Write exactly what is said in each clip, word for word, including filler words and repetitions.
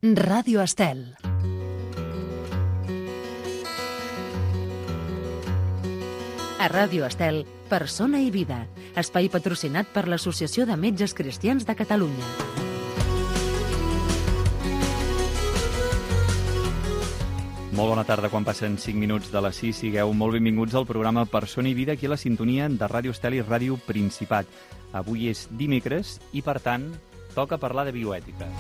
Ràdio Estel. A Ràdio Estel, Persona i Vida, espai patrocinat per l'Associació de Metges Cristians de Catalunya. Molt bona tarda, quan passen cinc minuts de les sis, sigueu molt benvinguts al programa Persona i Vida, aquí a la sintonia de Ràdio Estel i Ràdio Principat. Avui és dimecres i, per tant, toca parlar de bioètica.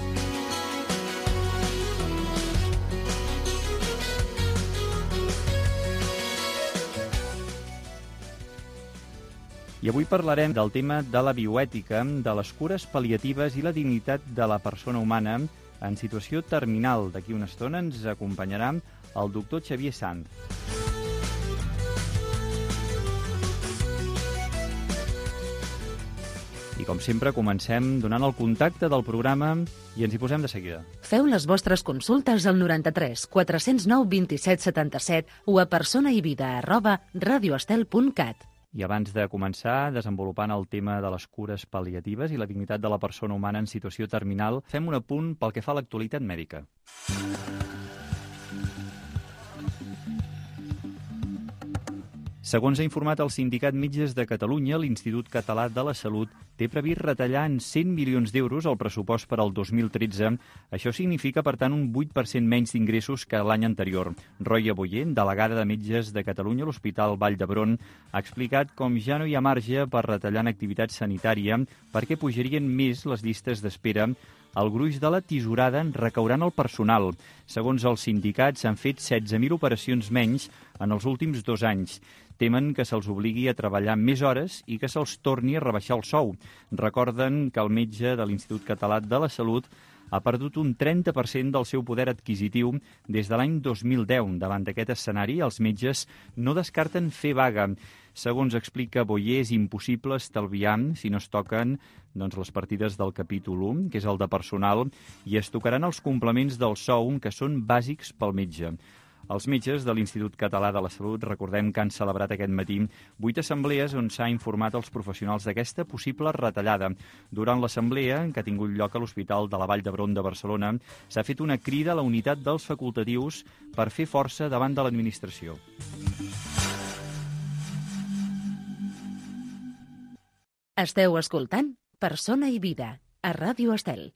I avui parlarem del tema de la bioètica, de les cures pal·liatives i la dignitat de la persona humana en situació terminal. D'aquí una estona ens acompanyarà el doctor Xavier Sanz. I com sempre comencem donant el contacte del programa i ens hi posem de seguida. Feu les vostres consultes al noranta-tres quatre cents nou vint-i-set setanta-set o a personaivida arroba radioestel punt cat. I abans de començar desenvolupant el tema de les cures pal·liatives i la dignitat de la persona humana en situació terminal, fem un apunt pel que fa a l'actualitat mèdica. Segons ha informat el Sindicat Metges de Catalunya, l'Institut Català de la Salut té previst retallar en cent milions d'euros el pressupost per al dos mil tretze. Això significa, per tant, un vuit per cent menys d'ingressos que l'any anterior. Roia Boyer, delegada de Metges de Catalunya a l'Hospital Vall d'Hebron, ha explicat com ja no hi ha marge per retallar en activitat sanitària perquè pujarien més les llistes d'espera. El gruix de la tisorada recaurà en el personal. Segons els sindicats, s'han fet setze mil operacions menys en els últims dos anys. Temen que se'ls obligui a treballar més hores i que se'ls torni a rebaixar el sou. Recorden que el metge de l'Institut Català de la Salut ha perdut un trenta per cent del seu poder adquisitiu des de l'any dos mil deu. Davant d'aquest escenari, els metges no descarten fer vaga. Segons explica Boyer, és impossible estalviar si no es toquen doncs, les partides del capítol u, que és el de personal, i es tocaran els complements del sou, que són bàsics pel metge. Els metges de l'Institut Català de la Salut, recordem que han celebrat aquest matí vuit assemblees on s'ha informat als professionals d'aquesta possible retallada. Durant l'assemblea, que ha tingut lloc a l'Hospital de la Vall d'Hebron de Barcelona, s'ha fet una crida a la unitat dels facultatius per fer força davant de l'administració. Esteu escoltant Persona i Vida, a Ràdio Estel.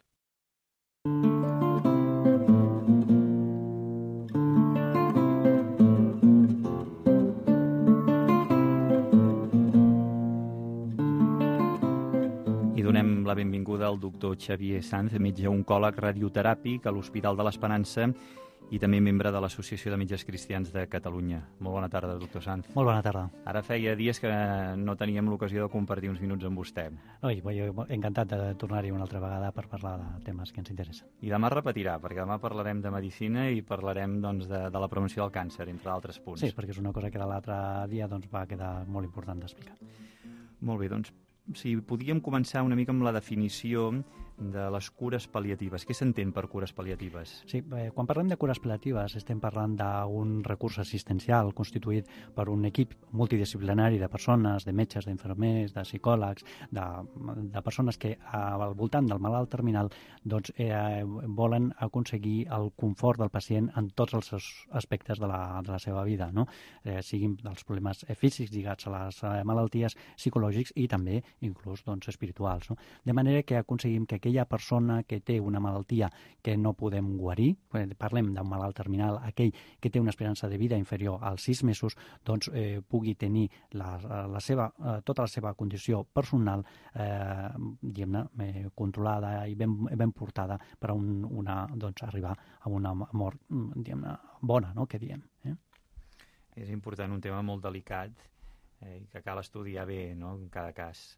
I donem la benvinguda al doctor Xavier Sanz, metge oncòleg radioteràpic a l'Hospital de l'Esperança i també membre de l'Associació de Metges Cristians de Catalunya. Molt bona tarda, doctor Sanz. Molt bona tarda. Ara feia dies que no teníem l'ocasió de compartir uns minuts amb vostè. Oi, jo encantat de tornar-hi una altra vegada per parlar de temes que ens interessen. I demà repetirà, perquè demà parlarem de medicina i parlarem doncs, de, de la prevenció del càncer, entre altres punts. Sí, perquè és una cosa que l'altre dia doncs, va quedar molt important d'explicar. Molt bé, doncs, si podíem començar una mica amb la definició de les cures pal·liatives. Què s'entén per cures pal·liatives? Sí, eh, quan parlem de cures pal·liatives estem parlant d'un recurs assistencial constituït per un equip multidisciplinari de persones, de metges, d'infermers, de psicòlegs, de, de persones que al voltant del malalt terminal doncs, eh, volen aconseguir el confort del pacient en tots els aspectes de la, de la seva vida, no? eh, siguin dels problemes físics lligats a les malalties, psicològics i també inclús doncs, espirituals. No? De manera que aconseguim que aquella persona que té una malaltia que no podem guarir, parlem d'un malalt terminal, aquell que té una esperança de vida inferior als sis mesos, doncs eh, pugui tenir la, la seva, eh, tota la seva condició personal eh, diguem-ne, eh, controlada i ben, ben portada per a un, una, doncs, arribar a una mort diguem-ne, bona, no?, que diem. Eh? És important, un tema molt delicat eh, que cal estudiar bé, no?, en cada cas.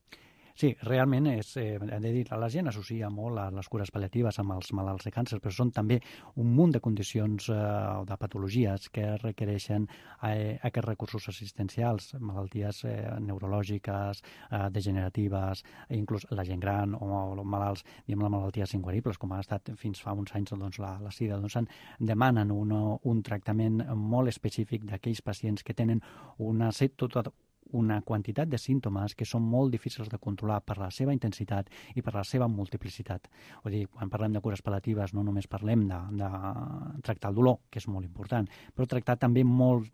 Sí, realment és, eh, hem de dir, la gent associa molt a les cures pal·liatives amb els malalts de càncer, però són també un munt de condicions o eh, de patologies que requereixen eh, aquests recursos assistencials, malalties eh, neurològiques, eh, degeneratives, inclús la gent gran o, o malalts, diguem, les malalties inguaribles, com ha estat fins fa uns anys doncs, la, la sida, doncs en demanen una, un tractament molt específic d'aquells pacients que tenen una, tot, una quantitat de símptomes que són molt difícils de controlar per la seva intensitat i per la seva multiplicitat. Vull dir, quan parlem de cures pal·liatives no només parlem de, de tractar el dolor, que és molt important, però tractar també molt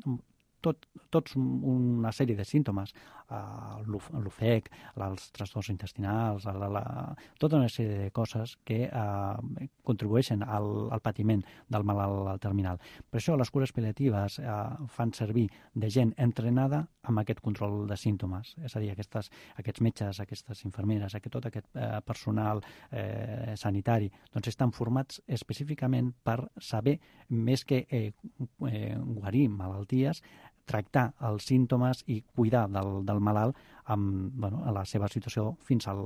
tot, tots una sèrie de símptomes, uh, l'ofec, els trastorns intestinals, la, la, tota una sèrie de coses que uh, contribueixen al, al patiment del malalt terminal. Per això les cures pal·liatives uh, fan servir de gent entrenada amb aquest control de símptomes, és a dir, aquestes, aquests metges, aquestes infermeres, aquest, tot aquest uh, personal eh, sanitari, doncs estan formats específicament per saber, més que eh, eh, guarir malalties, tractar els símptomes i cuidar del, del malalt amb bueno, a la seva situació fins al,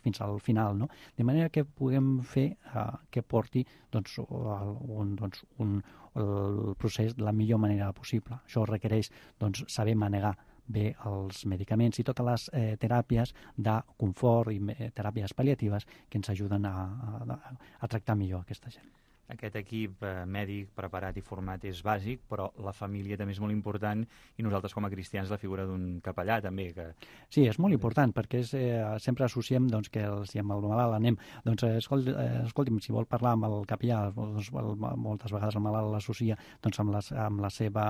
fins al final. No? De manera que puguem fer uh, que porti doncs, un, doncs, un, el procés de la millor manera possible. Això requereix doncs, saber manegar bé els medicaments i totes les eh, teràpies de confort i eh, teràpies pal·liatives que ens ajuden a, a, a tractar millor aquesta gent. Aquest equip eh, mèdic preparat i format és bàsic, però la família també és molt important i nosaltres com a cristians la figura d'un capellà també. Que... Sí, és molt important perquè és, eh, sempre associem doncs, que el, si amb el malalt anem, doncs eh, escolti, eh, escolti'm, si vol parlar amb el capellà, doncs, el, moltes vegades el malalt l'associa doncs, amb, les, amb la seva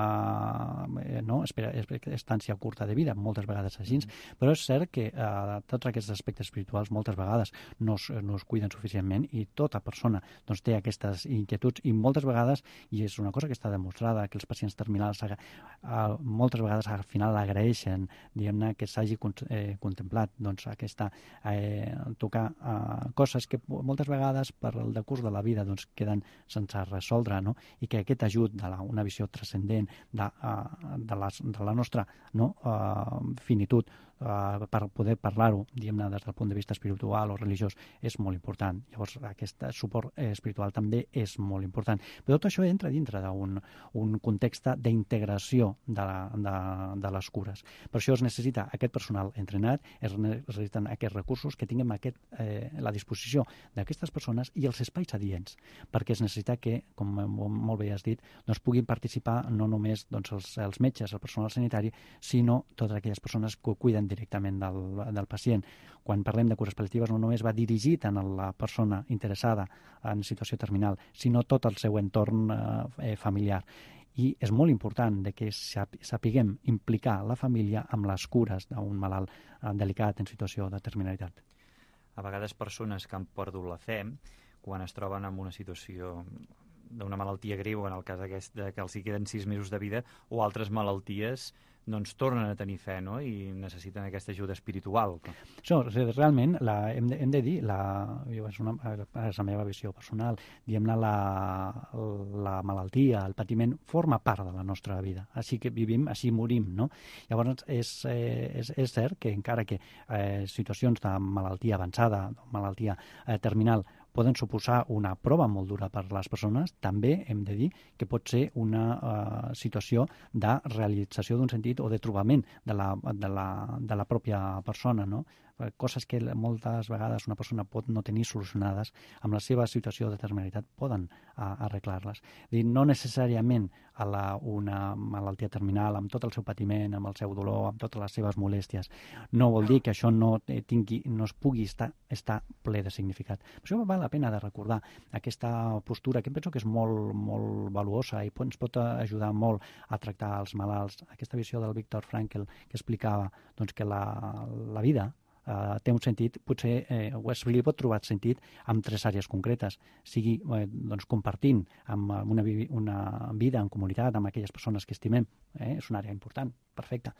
eh, no, espera, estància curta de vida, moltes vegades així, mm. però és cert que eh, tots aquests aspectes espirituals moltes vegades no es, no es cuiden suficientment i tota persona doncs, té aquestes inquietuds i moltes vegades, i és una cosa que està demostrada, que els pacients terminals uh, moltes vegades al final agraeixen, diguem-ne, que s'hagi eh, contemplat doncs, aquesta, eh, tocar uh, coses que moltes vegades per el decurs de la vida doncs, queden sense resoldre, no? I que aquest ajut de la, una visió transcendent de, uh, de, les, de la nostra no? uh, finitud Uh, per poder parlar-ho, diguem-ne, des del punt de vista espiritual o religiós, és molt important. Llavors, aquest suport eh, espiritual també és molt important. Però tot això entra dintre d'un un context d'integració de, la, de, de les cures. Per això es necessita aquest personal entrenat, es necessiten aquests recursos que tinguem aquest, eh, la disposició d'aquestes persones i els espais adients, perquè es necessita que, com molt bé has dit, doncs puguin participar no només doncs, els, els metges, el personal sanitari, sinó totes aquelles persones que cuiden directament del, del pacient. Quan parlem de cures pal·liatives no només va dirigit a la persona interessada en situació terminal, sinó tot el seu entorn eh, familiar. I és molt important de que sapiguem implicar la família amb les cures d'un malalt eh, delicat en situació de terminalitat. A vegades persones que han perdut la fe, quan es troben en una situació d'una malaltia greu, en el cas aquest de que els hi queden sis mesos de vida, o altres malalties, doncs tornen a tenir fe, no? I necessiten aquesta ajuda espiritual. Això, realment, la, hem, de, hem de dir, la, és, una, és la meva visió personal, diguem-ne, la, la malaltia, el patiment, forma part de la nostra vida. Així que vivim, així morim, no? Llavors, és, és, és cert que encara que eh, situacions de malaltia avançada, malaltia eh, terminal, poden suposar una prova molt dura per a les persones, també hem de dir que pot ser una uh, situació de realització d'un sentit o de trobament de la, de la, de la pròpia persona, no? Coses que moltes vegades una persona pot no tenir solucionades, amb la seva situació de terminalitat poden uh, arreglar-les. No necessàriament a la, una malaltia terminal amb tot el seu patiment, amb el seu dolor, amb totes les seves molèsties. No vol dir que això no, tingui, no es pugui estar, estar ple de significat. Per això val la pena de recordar aquesta postura que penso que és molt, molt valuosa i ens pot ajudar molt a tractar els malalts. Aquesta visió del Viktor Frankl que explicava doncs, que la, la vida Uh, té un sentit, potser eh, es li pot trobar sentit en tres àrees concretes, sigui eh, doncs, compartint amb una, una vida en comunitat amb aquelles persones que estimem, eh? És una àrea important, perfecte.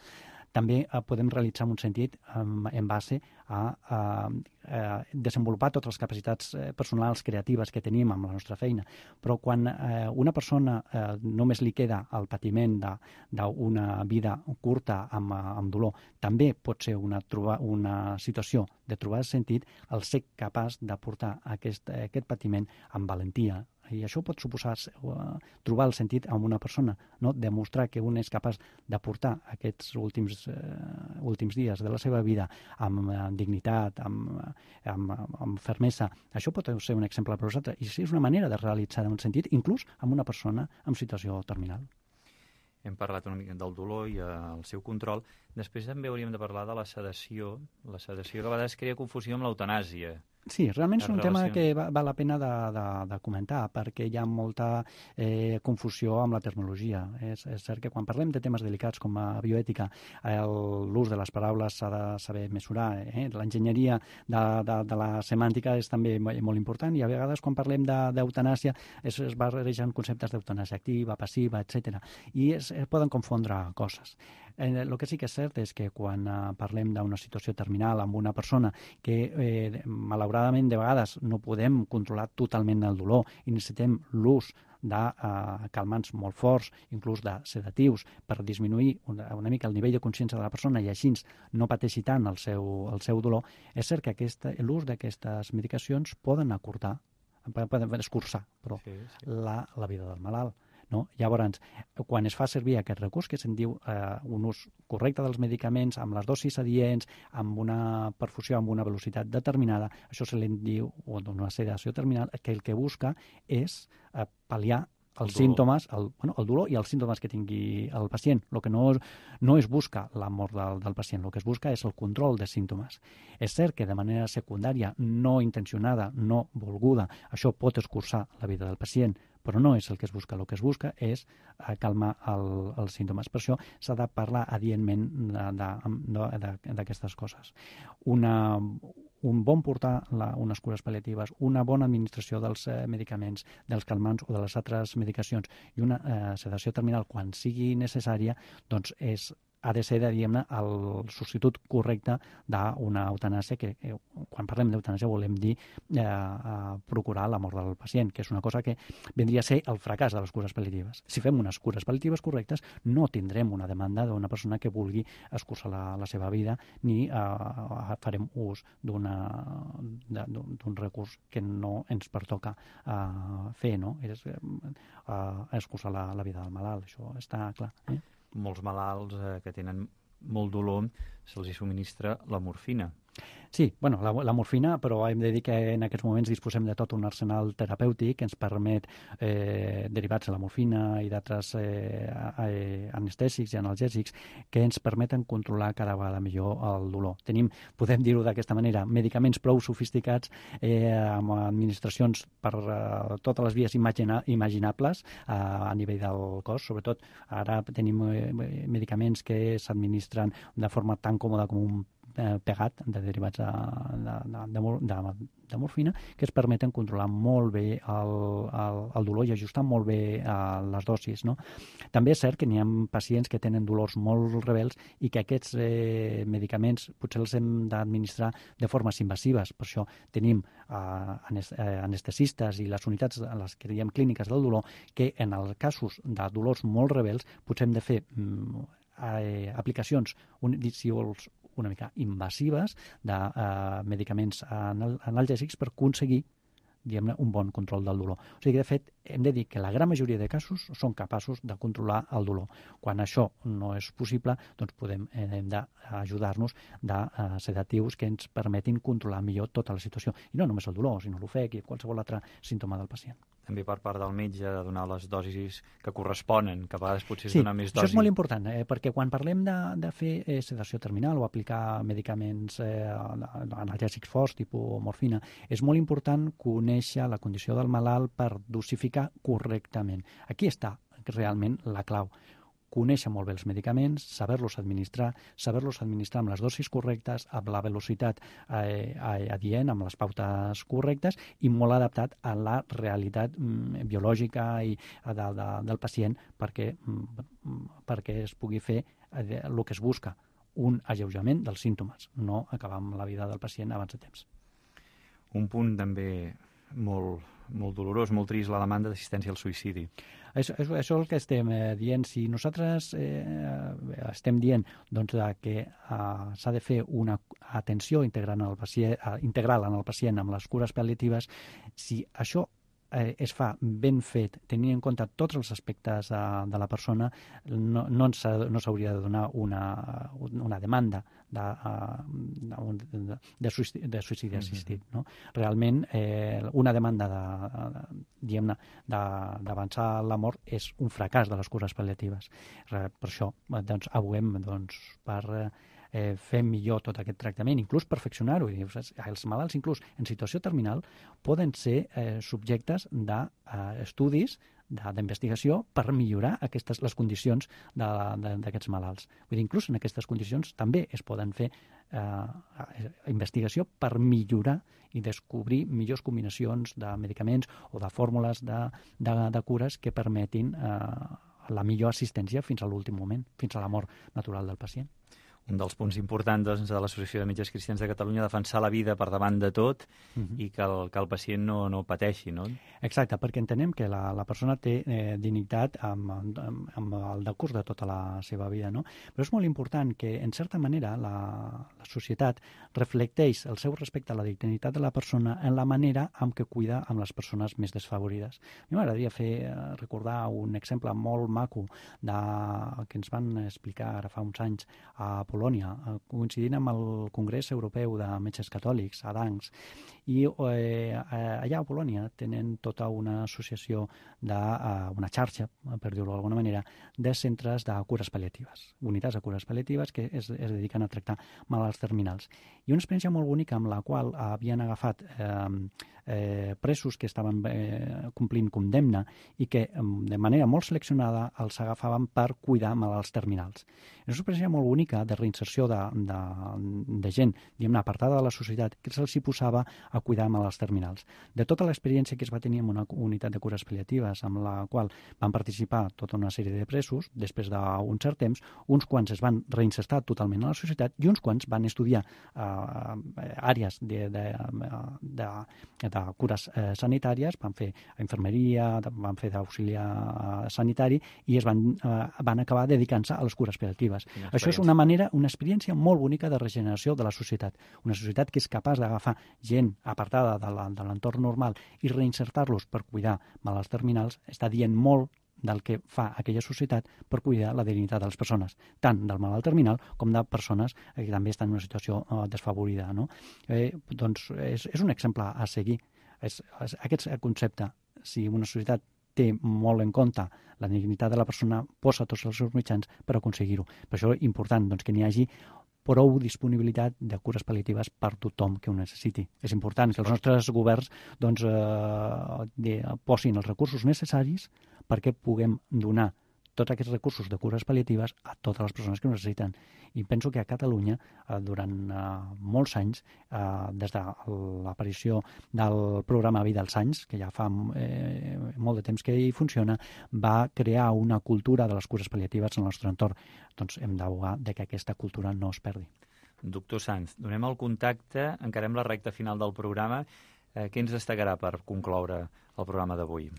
També eh, podem realitzar un sentit um, en base a, a, a desenvolupar totes les capacitats eh, personals creatives que tenim amb la nostra feina. Però quan eh, una persona eh, només li queda el patiment d'una vida curta amb, amb dolor, també pot ser una, trobar, una situació de trobar sentit el ser capaç de portar aquest, aquest patiment amb valentia. I això pot suposar uh, trobar el sentit en una persona, no? Demostrar que un és capaç de portar aquests últims, uh, últims dies de la seva vida amb uh, dignitat, amb, amb, amb fermesa. Això pot ser un exemple per vosaltres. I sí, és una manera de realitzar un sentit, inclús amb una persona en situació terminal. hem parlat una mica del dolor i el seu control. Després també hauríem de parlar de la sedació, la sedació que a vegades crea confusió amb l'eutanàsia. Sí, realment és un tema relació... que va, val la pena de, de, de comentar, perquè hi ha molta eh, confusió amb la terminologia. És, és cert que quan parlem de temes delicats com a bioètica, l'ús de les paraules s'ha de saber mesurar. Eh? L'enginyeria de, de, de la semàntica és també molt important, i a vegades quan parlem d'eutanàsia es, es barregen conceptes d'eutanàsia activa, passiva, etcètera. I es, es poden confondre coses. El eh, que sí que és cert és que quan eh, parlem d'una situació terminal amb una persona que eh, malauradament de vegades no podem controlar totalment el dolor i necessitem l'ús de eh, calmants molt forts, inclús de sedatius, per disminuir una, una mica el nivell de consciència de la persona i així no pateixi tant el seu, el seu dolor, és cert que l'ús d'aquestes medicacions poden acurtar, poden escurçar però, sí, sí. La, la vida del malalt. No? Llavors, quan es fa servir aquest recurs, que se'n diu eh, un ús correcte dels medicaments, amb les dosis adients, amb una perfusió amb una velocitat determinada, això se li diu una sedació terminal, que el que busca és eh, pal·liar els el símptomes, el, bueno, el dolor i els símptomes que tingui el pacient. El que no, no es busca la mort del, del pacient, el que es busca és el control de símptomes. És cert que de manera secundària, no intencionada, no volguda, això pot escurçar la vida del pacient, però no és el que es busca. El que es busca és eh, calmar el, els símptomes. Per això s'ha de parlar adientment d'aquestes coses. Una, un bon portar la, unes cures pal·liatives, una bona administració dels eh, medicaments, dels calmants o de les altres medicacions i una eh, sedació terminal quan sigui necessària, doncs és ha de ser, diguem-ne, el substitut correcte d'una eutanàsia, que eh, quan parlem d'eutanàsia volem dir eh, eh, procurar la mort del pacient, que és una cosa que vendria a ser el fracàs de les cures pal·liatives. Si fem unes cures pal·liatives correctes, no tindrem una demanda d'una persona que vulgui escurçar la, la seva vida, ni eh, farem ús d'un recurs que no ens pertoca eh, fer, no? És eh, escurçar la, la vida del malalt, això està clar. Eh? Molts malalts eh, que tenen molt dolor se'ls subministra la morfina. Sí, bueno, la, la morfina, però hem de dir que en aquests moments disposem de tot un arsenal terapèutic que ens permet, eh, derivats de la morfina i d'altres eh, eh, anestèsics i analgèsics, que ens permeten controlar cada vegada millor el dolor. Tenim, podem dir-ho d'aquesta manera, medicaments prou sofisticats eh, amb administracions per eh, totes les vies imagina, imaginables eh, a nivell del cos. Sobretot ara tenim eh, medicaments que s'administren de forma tan còmoda com un pegat de derivats de, de, de, de, de morfina, que es permeten controlar molt bé el, el, el dolor i ajustar molt bé uh, les dosis. No? També és cert que n'hi ha pacients que tenen dolors molt rebels i que aquests eh, medicaments potser els hem d'administrar de formes invasives. Per això tenim uh, anestesistes i les unitats en les que diem clíniques del dolor que en els casos de dolors molt rebels potser hem de fer um, eh, aplicacions, un, si vols, una mica invasives de eh, medicaments anal analgèsics per aconseguir, diguem-ne, un bon control del dolor. O sigui que, de fet, hem de dir que la gran majoria de casos són capaços de controlar el dolor. Quan això no és possible, doncs podem, eh, hem d'ajudar-nos de eh, sedatius que ens permetin controlar millor tota la situació. I no només el dolor, sinó l'ofec i qualsevol altre símptoma del pacient. També per part del metge de donar les dosis que corresponen, que a vegades potser és sí, donar més dosis. Sí, això és molt important, eh, perquè quan parlem de, de fer eh, sedació terminal o aplicar medicaments eh, analgèsics forts, tipus morfina, és molt important conèixer la condició del malalt per dosificar correctament. Aquí està realment la clau. Conèixer molt bé els medicaments, saber-los administrar, saber-los administrar amb les dosis correctes, amb la velocitat eh, adient, amb les pautes correctes i molt adaptat a la realitat mm, biològica i de, de, del pacient perquè, mm, perquè es pugui fer eh, el que es busca, un alleujament dels símptomes, no acabar amb la vida del pacient abans de temps. Un punt també molt, molt dolorós, molt trist, la demanda d'assistència al suïcidi. Això, això, això és el que estem eh, dient. Si nosaltres eh, estem dient doncs, que eh, s'ha de fer una atenció integral en, el pacient, eh, integral en el pacient amb les cures pal·liatives, si això eh, es fa ben fet, tenint en compte tots els aspectes eh, de la persona, no, no, no s'hauria de donar una, una demanda de, de, de, suïcidi, de suïcidi assistit. No? Realment, eh, una demanda de, diguem-ne, d'avançar la mort és un fracàs de les cures pal·liatives. Per això doncs, aboguem doncs, per eh, fer millor tot aquest tractament, inclús perfeccionar-ho. Els malalts, inclús en situació terminal, poden ser eh, subjectes d'estudis, eh, d'investigació per millorar aquestes, les condicions d'aquests malalts. Vull dir, inclús en aquestes condicions també es poden fer eh, investigació per millorar i descobrir millors combinacions de medicaments o de fórmules de, de, de cures que permetin eh, la millor assistència fins a l'últim moment, fins a la mort natural del pacient. Un dels punts importants doncs, de l'Associació de Metges Cristians de Catalunya, defensar la vida per davant de tot uh-huh. i que el, que el pacient no, no pateixi, no? Exacte, perquè entenem que la, la persona té eh, dignitat amb, amb, amb el decurs de tota la seva vida, no? Però és molt important que, en certa manera, la, la societat reflecteix el seu respecte a la dignitat de la persona en la manera amb què cuida amb les persones més desfavorides. A mi m'agradaria fer recordar un exemple molt maco de, que ens van explicar ara fa uns anys a Polònia, coincidint amb el Congrés Europeu de Metges Catòlics, a Danks. I eh, allà a Polònia tenen tota una associació, de, uh, una xarxa, per dir-ho d'alguna manera, de centres de cures pal·liatives, unitats de cures pal·liatives que es, es dediquen a tractar malalts terminals. I una experiència molt bonica amb la qual havien agafat eh, eh, presos que estaven eh, complint condemna i que de manera molt seleccionada els agafaven per cuidar malalts terminals. És una experiència molt bonica de reinserció de, de, de gent, diguem-ne, apartada de la societat, que se'ls hi posava a cuidar malalts terminals. De tota l'experiència que es va tenir en una unitat de cures pal·liatives, amb la qual van participar tota una sèrie de presos, després d'un cert temps, uns quants es van reinsertar totalment a la societat i uns quants van estudiar eh, àrees de, de, de, de cures eh, sanitàries, van fer infermeria, van fer d'auxiliar sanitari i es van, eh, van acabar dedicant-se a les cures pal·liatives. Això és una manera, una experiència molt bonica de regeneració de la societat. Una societat que és capaç d'agafar gent apartada de l'entorn normal i reinsertar-los per cuidar malalts terminals, està dient molt del que fa aquella societat per cuidar la dignitat de les persones, tant del malalt terminal com de persones que també estan en una situació uh, desfavorida. No? Eh, doncs és, és un exemple a seguir. És, és, aquest concepte, si una societat té molt en compte la dignitat de la persona, posa tots els seus mitjans per aconseguir-ho. Per això és important doncs, que n'hi hagi prou disponibilitat de cures pal·liatives per tothom que ho necessiti. És important que els nostres governs doncs, eh, de, posin els recursos necessaris perquè puguem donar tots aquests recursos de cures pal·liatives a totes les persones que ho necessiten. I penso que a Catalunya, eh, durant eh, molts anys, eh, des de l'aparició del programa Vida als anys, que ja fa eh, molt de temps que hi funciona, va crear una cultura de les cures pal·liatives en el nostre entorn. Doncs hem d'abogar que aquesta cultura no es perdi. Doctor Sanz, donem el contacte, encarem la recta final del programa. Eh, què ens destacarà per concloure el programa d'avui?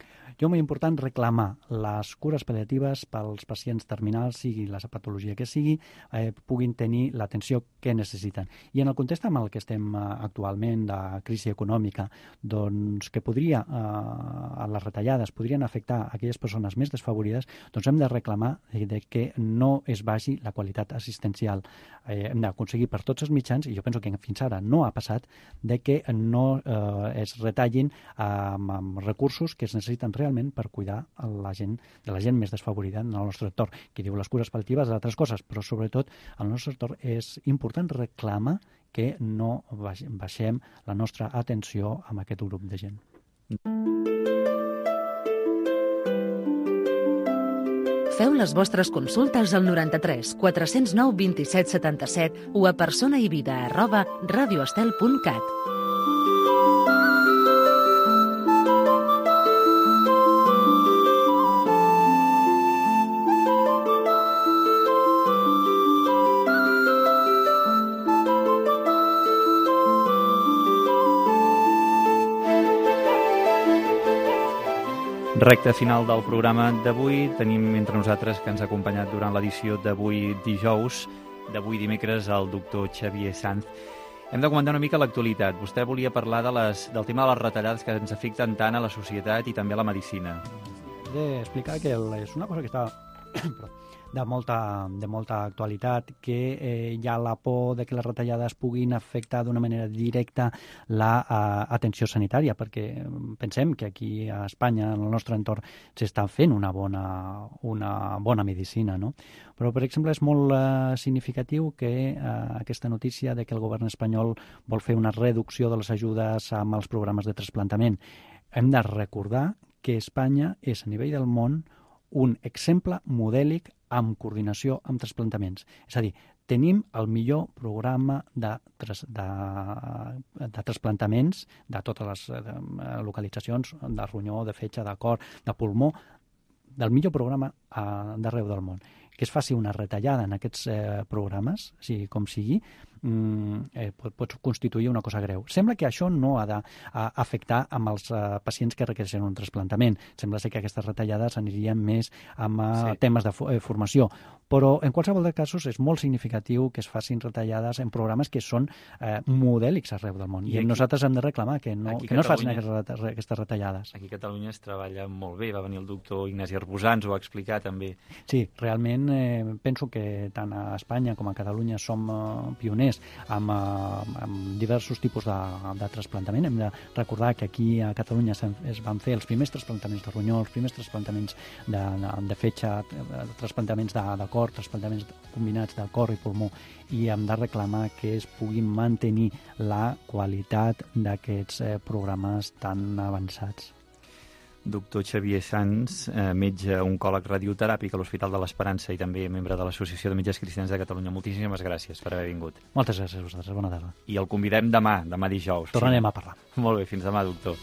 Jo, molt important, reclamar les cures pal·liatives pels pacients terminals, sigui la patologia que sigui, eh, puguin tenir l'atenció que necessiten. I en el context amb el que estem eh, actualment, de crisi econòmica, doncs que podria, eh, les retallades podrien afectar aquelles persones més desfavorides, doncs hem de reclamar de, de que no es vagi la qualitat assistencial. Eh, hem d'aconseguir per tots els mitjans, i jo penso que fins ara no ha passat, de que no eh, es retallin eh, amb recursos que es necessiten realment per cuidar la gent, de la gent més desfavorida en el nostre entorn. Qui diu les cures pal·liatives d'altres coses, però sobretot al nostre entorn és important reclamar que no baixem la nostra atenció amb aquest grup de gent. Feu les vostres consultes al noranta-tres quatre-cents nou vint-i-set setanta-set o a personaivida arroba radioestel punt cat. Recte final del programa d'avui. Tenim entre nosaltres, que ens ha acompanyat durant l'edició d'avui dijous, d'avui dimecres, el doctor Xavier Sanz. Hem de comentar una mica l'actualitat. Vostè volia parlar de les, del tema de les retallades que ens afecten tant a la societat i també a la medicina. He d'explicar que el, és una cosa que està de molta, de molta actualitat, que eh, hi ha la por de que les retallades puguin afectar d'una manera directa l'atenció sanitària, perquè pensem que aquí a Espanya, en el nostre entorn, s'està fent una bona, una bona medicina, no? Però, per exemple, és molt eh, significatiu que eh, aquesta notícia de que el govern espanyol vol fer una reducció de les ajudes amb els programes de trasplantament. Hem de recordar que Espanya és, a nivell del món, un exemple modèlic amb coordinació amb trasplantaments. És a dir, tenim el millor programa de, de, de trasplantaments de totes les de, localitzacions, de ronyó, de fetge, de cor, de pulmó, del millor programa eh, d'arreu del món. Que es faci una retallada en aquests eh, programes, sigui com sigui, eh, pot, pot constituir una cosa greu. Sembla que això no ha d'afectar amb els eh, pacients que requereixen un trasplantament. Sembla ser que aquestes retallades anirien més amb eh, sí. temes de eh, formació. Però, en qualsevol dels casos, és molt significatiu que es facin retallades en programes que són eh, modèlics arreu del món. I, I aquí, nosaltres hem de reclamar que no, que no es facin aquestes, aquestes retallades. Aquí a Catalunya es treballa molt bé. Va venir el doctor Ignasi Arbusà, ens ho va explicar també. Sí, realment eh, penso que tant a Espanya com a Catalunya som eh, pioners amb, eh, amb diversos tipus de, de trasplantament. Hem de recordar que aquí a Catalunya es van fer els primers trasplantaments de ronyó, els primers trasplantaments de, de, de fetge, trasplantaments de, de cor, trasplantaments combinats de cor i pulmó, i hem de reclamar que es puguin mantenir la qualitat d'aquests eh, programes tan avançats. Doctor Xavier Sans, eh, metge oncòleg radioteràpic a l'Hospital de l'Esperança i també membre de l'Associació de Metges Cristians de Catalunya. Moltíssimes gràcies per haver vingut. Moltes gràcies a vosaltres. Bona tarda. I el convidem demà, demà dijous. Tornarem sí. a parlar. Molt bé, fins demà, doctor.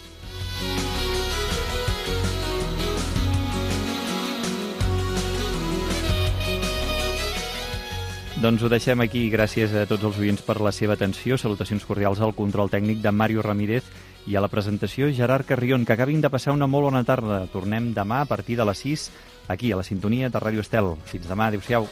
Doncs ho deixem aquí. Gràcies a tots els oients per la seva atenció. Salutacions cordials al control tècnic de Mario Ramírez i a la presentació Gerard Carrion. Que acabin de passar una molt bona tarda. Tornem demà a partir de les sis aquí a la sintonia de Ràdio Estel. Fins demà. Adéu-siau.